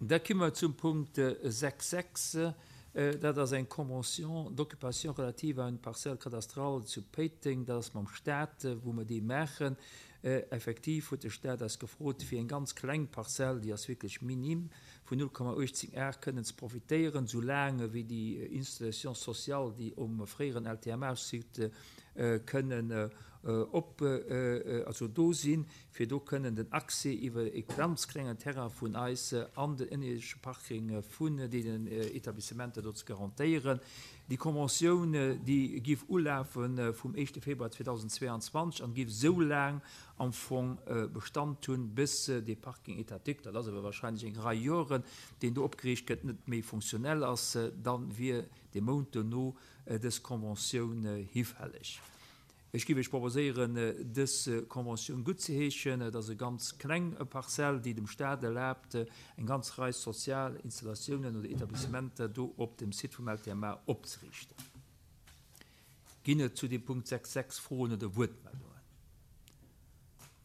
Da komme mer zum Punkt 6,6. Dat ass eng Convention d'occupation relative à une parcelle cadastrale zu Péiteng. Dat ass mam Stat, wou mer déi maachen. Effektiv huet de Stat eis gefrot, fir eng ganz kleng Parzell, déi ass wierklech minim, vun 0,18 Ar kënnen ze profitéieren, soulaang wéi déi Installations sociales, déi um fréieren LTMA-Site kënnen op, also do sinn, fir do kënnen den Accès iwwer e ganz klengen Terrain vun eis an den ënnerierdesche Parking vun deenen Etablissementer do ze garantéieren. Déi Conventioun, déi géif ulafe vum éischte Februar 2022 an géif esou laang am Fong Bestand hunn, bis dee Parking étatique, dat ass awer wahrscheinlech eng Rei Joren, deen do opgeriicht gëtt, net méi funktionell ass, da wier dee Mount dono dës Conventioun hifälleg. Ech géif Iech proposéieren, dës Conventioun guttzeheeschen. Et ass e ganz kleng Parzell, déi dem Stat erlaabt, eng ganz Rei sozial Installatiounen oder Etablissementer do op dem Site vum LTMA opzeriichten. Ginn et zu dem Punkt 6 6 Froen oder Wuertmeldungen?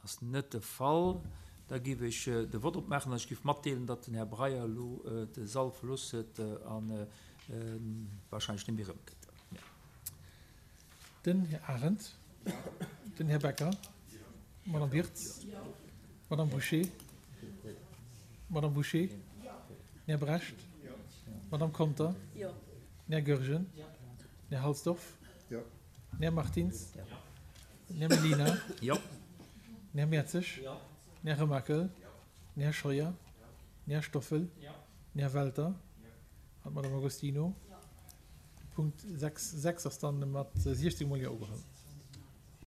Ass net de Fall. Da géif ech de Vott opmaachen an ech géif matdeelen, datt den Här Breyer elo de Sall verlooss huet a wahrscheinlech net méi erëmkënnt. Den Här Arendt. Den Här Becker. D'Madame Wirtz. D'Madame Bouché. D'Madame Bouché. Den Här Brecht. D'Madame Conter. Den Här Goergen. Den Här Halsdorf. Den Här Martins. Den Här Mellina. Den Här Mertzig. Den Här Remakel. Den Här Scheuer. Den Här Stoffel. Den Här Welter an d'Madame Agostino. De Punkt 6, 6 ass dann mat 16 mol Jo ugeholl.